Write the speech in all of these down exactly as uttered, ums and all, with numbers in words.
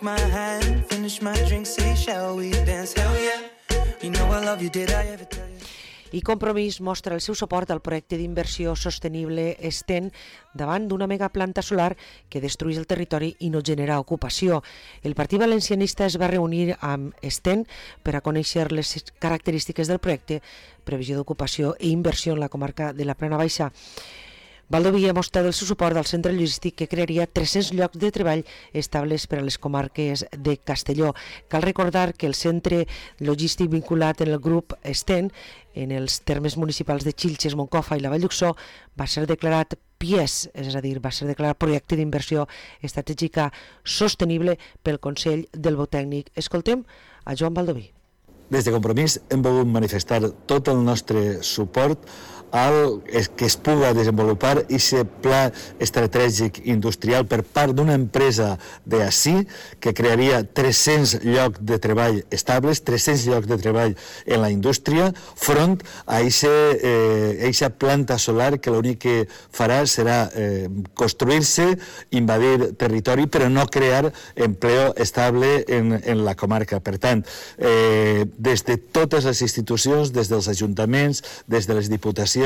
My hand, finish my drink, say shall we dance? Hell yeah, you know I love you, did I ever tell you? I Compromís mostra el seu suport al projecte d'inversió sostenible Sten davant d'una megaplanta solar que destrueix el territori i no genera ocupació. El Partit Valencianista es va reunir amb Sten per a conèixer les característiques del projecte, previsió d'ocupació i inversió en la comarca de la Plana Baixa. Baldoví ha mostrat el seu suport al centre logístic que crearia tres-cents llocs de treball estables per a les comarques de Castelló. Cal recordar que el centre logístic vinculat en el grup Sten, en els termes municipals de Xilxes, Moncofa i la Vall d'Uixó, va ser declarat P I E S, és a dir, va ser declarat Projecte d'Inversió Estratègica Sostenible pel Consell del Botècnic. Escoltem a Joan Baldoví. Des de Compromís hem volgut manifestar tot el nostre suport al que es puga desenvolupar aquest pla estratègic industrial per part d'una empresa d'ací que crearia tres-cents llocs de treball estables, tres-cents llocs de treball en la indústria, front a aquesta planta solar que l'únic que farà serà eh, construir-se, invadir territori, però no crear empleo estable en, en la comarca. Per tant, eh, des de totes les institucions, des dels ajuntaments, des de les diputacions,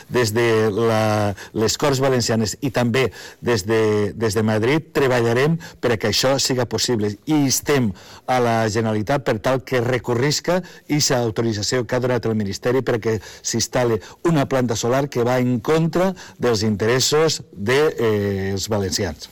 des de la, les Corts Valencianes i també des de, des de Madrid, treballarem perquè això siga possible i instem a la Generalitat per tal que recorrisca aquesta autorització que ha donat el Ministeri perquè s'instal·li una planta solar que va en contra dels interessos dels eh, valencians.